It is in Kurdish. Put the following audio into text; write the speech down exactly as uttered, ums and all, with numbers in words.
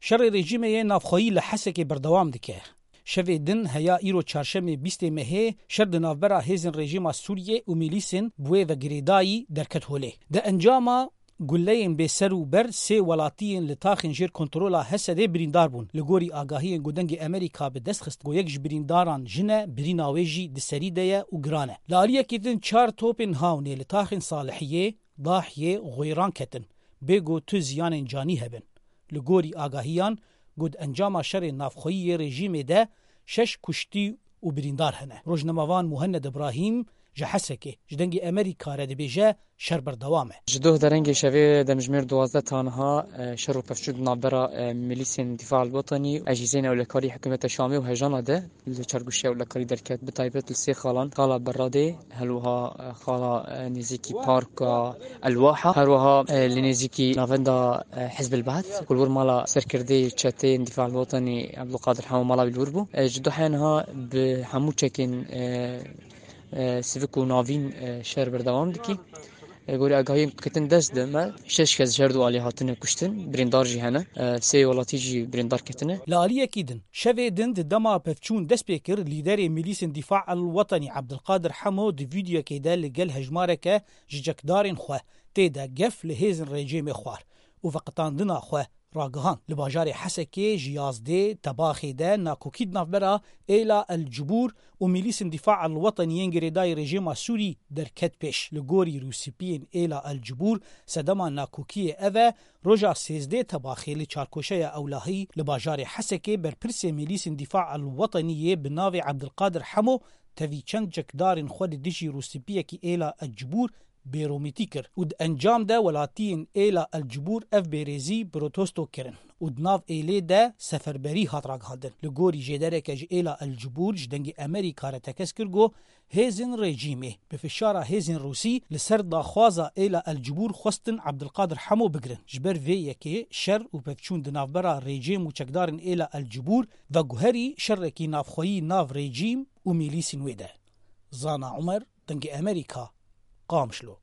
Şerê rejîmê yê navxweyî li Hesekê berdewam dike. Şevê din heya îro çarşemê bîstê mehê şer di navbera hêzên rejîma Sûriyê û milîsên bi wê ve girêdayî derket holê. Di encama guleyên bêser û ber sê welatiyên li taxên jêr kontrola Hesedê birîndar bûn. Li gorî agahiyên ku Dengê Amerîka bi dest xist ku yek ji birîndaran jin e, birîna wê jî di serî de ye û giran e. Li aliyekî din çar topên hawnê li taxên Salihiyê, Dahiyê, Xwêran ketin, bê ku tu ziyanên canî hebin. Li gorî agahiyan ku di encama şerê navxweyî yê rejîmê de şeş kuştî û birîndar hene. Rojnamevan Muhenned Ibrahîm ji Hesekê ji Dengê Amerîka re dibêje şer berdewam e. Ji doh derengê şevê demjimêr duwazdeh taniha, e, şer û pevçûn di navbera, e, milîsên Dîfa el Wetenî, Ecîzên Ewlekarî Hikûmeta Şamê û Hejana de li çarguşiya ewlekarî derket, bi taybet li sê xalan, xala Beradê, herwiha, e, xala, e, nêzîkî parka Elwaha, herwiha, e, li nêzîkî navenda, e, Hizb el Ba'th, ku li wir mala serkirdeyê çeteyên Dîfa el Wetenî Ebdulkadir Hemo mala wî li wir bû. E, ji duhê niha bi hemû çekên, e, e, sivik û navîn, e, şer berdewam dikî. E, gorî agahiyên ku ketin dest de me, şeş kes ji her du alî hatine kuştin, birîndar jî hene. E, sê welatî jî birîndar ketine. Li aliyekî din, şevê din di dema pevçûn dest pê kir, lîderê milîsên Dîfa el Wetenî Ebdulkadir Hemo di vîdeoyekê de li gel hejmareke ji çekdarên xwe tê de gef li hêzên rejîmê xwar û veqetandina xwe ragihand. Li bajarê Hesekê ji yazdê Tebaxê de nakokî di navbera Êla El Cibûr û milîsên Dîfa El Wetenî yên girêdayî rejîma Sûrî derket pêş. Li gorî rûspiyên Êla El Cibûr, sedema nakokiyê ev e, roja sêzdeh Tebaxê li çarkoşeya Ewlahî li bajarê Hesekê berpirsê milîsên Dîfa El Wetenî yê bi navê Ebdulkadir Hemo tevî çend çekdarên xwe li dijî rûspiyekî Êla El Cibûr bêromîtî kir û di encam de welatiyên Êla El Cibûr ev bêrêzî protesto kirin û di nav êlê de seferberî hat ragihandin. Li gorî jêdereke ji Êla El Cibûr ji Dengê Amerîka re tekez kir ku hêzên rejîmê bi fişara hêzên Rûsî li ser daxwaza Êla El Cibûr xwestin Ebdulkadir Hemo bigirin. Ji ber vê yekê şer û pevçûn di navbera rejîm û çekdarên Êla El Cibûr veguherî şerekî navxweyî nav rejîm û milîsên wê de. Zana Umer, Dengê Amerîka, Qamişlo.